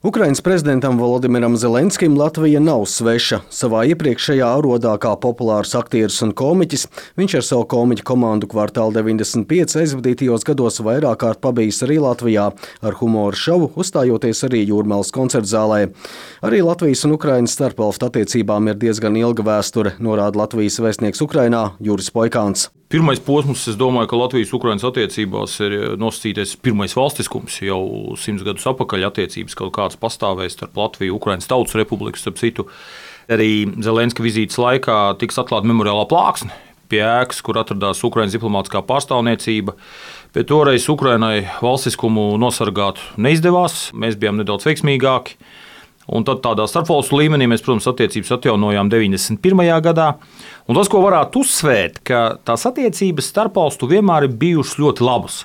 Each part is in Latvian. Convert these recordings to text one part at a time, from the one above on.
Ukrainas prezidentam Volodimiram Zelenskim Latvija nav sveša. Savā iepriekšējā arodā kā populārs aktieris un komiķis, viņš ar savu komiķu komandu Kvartāla 95 aizvadītajos gados vairāk kārt pabijis arī Latvijā ar humoru šovu, uzstājoties arī Jūrmālas koncertzālē. Arī Latvijas un Ukrainas starpvalstu attiecībām ir diezgan ilga vēsture, norāda Latvijas vēstnieks Ukrainā Juris Poikāns. Pirmais posms, es domāju, ka Latvijas-Ukrainas attiecībās ir nosacīties pirmais valstiskums. Jau 100 gadus atpakaļ attiecības kaut kādas pastāvēja starp Latviju un Ukrainas Tautas Republiku. Starp citu, arī Zelenska vizītes laikā tiks atklāta memoriālā plāksne pie ēkas, kur atradās Ukrainas diplomātiskā pārstāvniecība. Bet toreiz Ukrainai valstiskumu nosargāt neizdevās, mēs bijām nedaudz veiksmīgāki. Un tad tādā starpvalstu līmenī mēs, protams, attiecības atjaunojām 91. gadā. Un tas, ko varētu uzsvērt, ka tās attiecības starpvalstu vienmēr ir bijušas ļoti labas.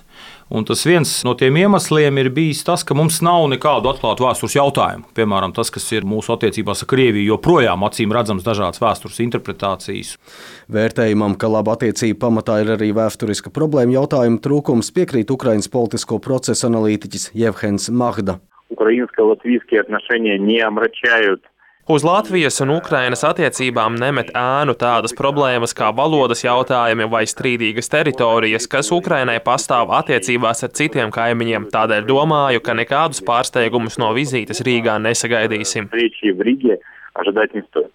Un tas viens no tiem iemesliem ir bijis tas, ka mums nav nekādu atklātu vēstures jautājumu. Piemēram, tas, kas ir mūsu attiecībās ar Krieviju, joprojām acīm redzams dažādas vēstures interpretācijas. Vērtējumam, ka laba attiecība pamatā ir arī vēsturiska problēma jautājuma trūkums, piekrīt Ukrainas politisko procesu analītiķis Jevhens Mahda. Украинско-латвийские отношения не омрачают. Uz Latvijas un Ukrainas attiecībām nemet ēnu tādas problēmas kā valodas jautājumi vai strīdīgas teritorijas, kas Ukrainai pastāv attiecībās ar citiem kaimiņiem. Tādēļ domāju, ka nekādus pārsteigumus no vizītes Rīgā nesagaidīsim.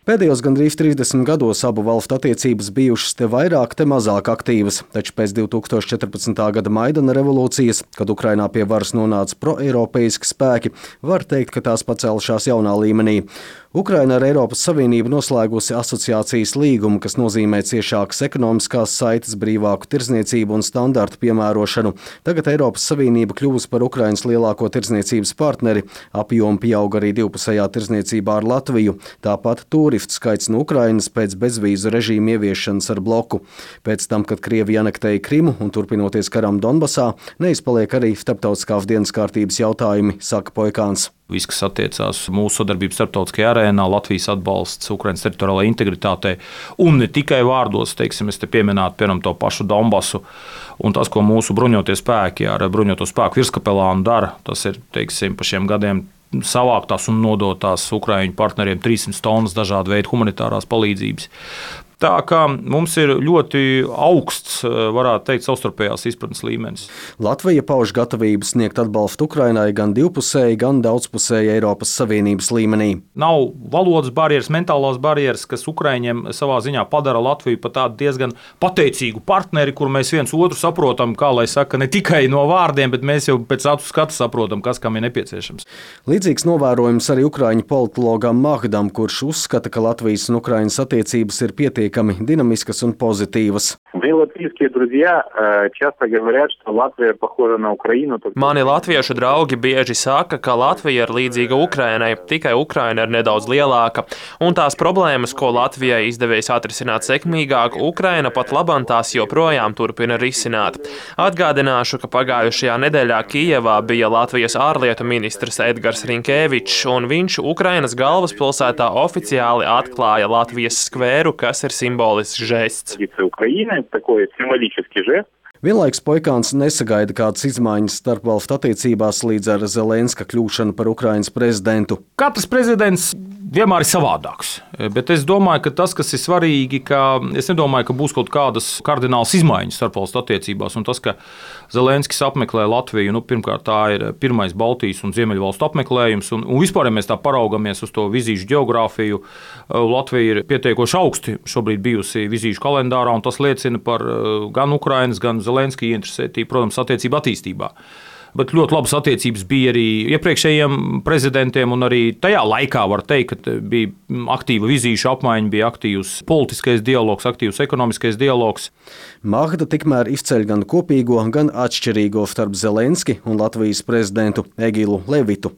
Pēdējos gandrīz 30 gados abu valstu attiecības bijušas te vairāk, te mazāk aktīvas, taču pēc 2014. gada Maidana revolūcijas, kad Ukrainā pie varas nonāca proeiropeiski spēki, var teikt, ka tās pacēlušās jaunā līmenī. Ukraina ar Eiropas Savienību noslēgusi asociācijas līgumu, kas nozīmē ciešākas ekonomiskās saites, brīvāku tirdzniecību un standartu piemērošanu. Tagad Eiropas Savienība kļuvusi par Ukrainas lielāko tirdzniecības partneri, apjomu pieauga arī divpusējā tirdzniecībā ar Latviju. Tāpat turistu skaits no Ukrainas pēc bezvīzu režīma ieviešanas ar bloku. Pēc tam, kad Krievija anektēja Krimu un turpinoties karam Donbasā, neizpaliek arī starptautiskās dienas kārtības jautājumi, saka Poikāns. Viss, kas attiecās mūsu sadarbības starptautiskajā arēnā, Latvijas atbalsts Ukrainas teritoriālajai integritātei un ne tikai vārdos, teiksim, es te pieminētu, piemēram, to pašu Donbasu un tas, ko mūsu bruņotie spēki ar bruņoto spēku virskapelānu dara, tas ir, teiksim, pa šiem gadiem savāktās un nodotās Ukraiņu partneriem 300 tonnas dažādu veidu humanitārās palīdzības. Tā kā mums ir ļoti augsts, varētu teikt, savstarpējās izpratnes līmenis. Latvija pauž gatavību sniegt atbalstu Ukrainai gan divpusēji, gan daudzpusēji Eiropas Savienības līmenī. Nav valodas barjeras, mentālās barjeras, kas Ukraiņiem savā ziņā padara Latviju par tādu diezgan pateicīgu partneri, kur mēs viens otru saprotam, kā lai saka, ne tikai no vārdiem, bet mēs jau pēc acu skatu saprotam, kas kam ir nepieciešams. Līdzīgs novērojums arī ukraiņu politologam Mahdam, kurš uzskata, ka Latvijas un Ukrainas attiecības ir pietiekami dinamiskas un pozitīvas. Mani latviešu draugi bieži saka, ka Latvija ir līdzīga Ukrainai, tikai Ukraina ir nedaudz lielāka, un tās problēmas, ko Latvijai izdevies atrisināt sekmīgāk, Ukraina pat labam tās joprojām turpina risināt. Atgādināšu, ka pagājušajā nedēļā Kijevā bija Latvijas ārlietu ministrs Edgars Rinkēvičs, un viņš Ukrainas galvaspilsētā oficiāli atklāja Latvijas skvēru, kas ir simbolisks žests. Vienlaikus Poikāns nesagaida kādas izmaiņas starpvalstu attiecībās līdz ar Zelenska kļūšanu par Ukrainas prezidentu. Katrs prezidents vienmēr ir savādāks, bet es domāju, ka tas, kas ir svarīgi, es nedomāju, ka būs kaut kādas kardinālas izmaiņas starpvalstu attiecībās, un tas, ka Zelenskis apmeklē Latviju, pirmkārt tā ir pirmais Baltijas un Ziemeļvalstu apmeklējums, un vispār, ja mēs tā paraugamies uz to vizīšu geogrāfiju, Latvija ir pietiekoši augsti šobrīd bijusi vizīšu kalendārā, un tas liecina par gan Ukrainas, gan Zelenska ieinteresētību, protams, attiecību attīstībā. Bet ļoti labas attiecības bija arī iepriekšējiem prezidentiem, un arī tajā laikā var teikt, ka bija aktīva vizīšu apmaiņa, bija aktīvs politiskais dialogs, aktīvs ekonomiskais dialogs. Mahda tikmēr izceļ gan kopīgo, gan atšķirīgo starp Zelenski un Latvijas prezidentu Egilu Levitu.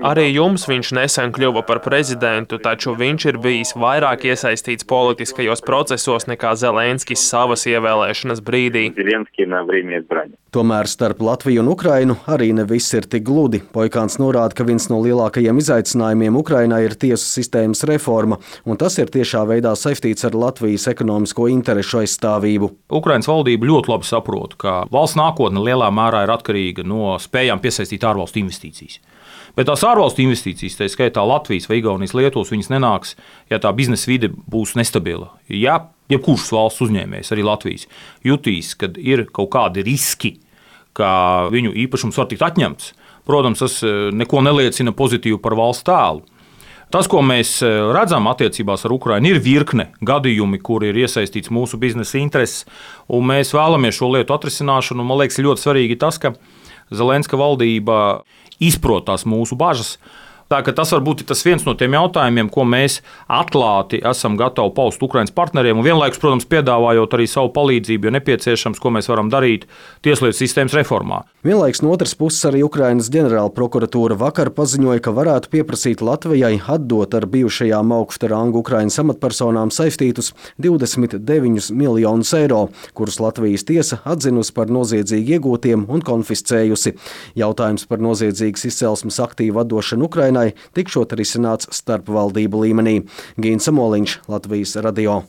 Arī jums viņš nesen kļuva par prezidentu, taču viņš ir bijis vairāk iesaistīts politiskajos procesos nekā Zelenskis savas ievēlēšanas brīdī. Tomēr starp Latviju un Ukrainu arī ne viss ir tik gludi. Poikāns norāda, ka viens no lielākajiem izaicinājumiem Ukrainai Ukrainai ir tiesu sistēmas reforma, un tas ir tiešā veidā saistīts ar Latvijas ekonomisko interešu aizstāvību. Ukrainas valdība ļoti labi saprot, ka valsts nākotne lielā mērā ir atkarīga no spējām piesaistīt ārvalstu investīcijas. Bet tās ārvalstu investīcijas, tā skaitā Latvijas vai Igaunijas, Lietuvas, viņas nenāks, ja tā biznesa vide būs nestabila. Ja jebkurš valsts uzņēmējs, arī Latvijas, jutīs, kad ir kaut kādi riski, ka viņu īpašums var tikt atņemts, protams, tas neko neliecina pozitīvi par valsts tēlu. Tas, ko mēs redzam attiecībās ar Ukrainu, ir virkne gadījumi, kur ir iesaistīts mūsu biznesa intereses, un mēs vēlamies šo lietu atrisināšanu. Man liekas, ir ļoti svarīgi tas, ka Zelenska valdība izprot tās mūsu bažas. Tā, tas var būt tas viens no tiem jautājumiem, ko mēs atklāti esam gatavi paust Ukrainas partneriem, un vienlaikus, protams, piedāvājot arī savu palīdzību, jo nepieciešams, ko mēs varam darīt tieslietu sistēmas reformā. Vienlaikus no otras puses arī Ukrainas ģenerāla prokuratūra vakar paziņoja, ka varētu pieprasīt Latvijai atdot ar bijušajām augsta ranga Ukrainas amatpersonām saistītus 29 miljonus eiro, kurus Latvijas tiesa atzinusi par noziedzīgi iegūtiem un konfiscējusi. Jautājums par noziedzīgas izcelsmes aktīvu atdošanu Ukrainai tikšot risināts starpvaldību līmenī. Gīns Samoliņš, Latvijas radio.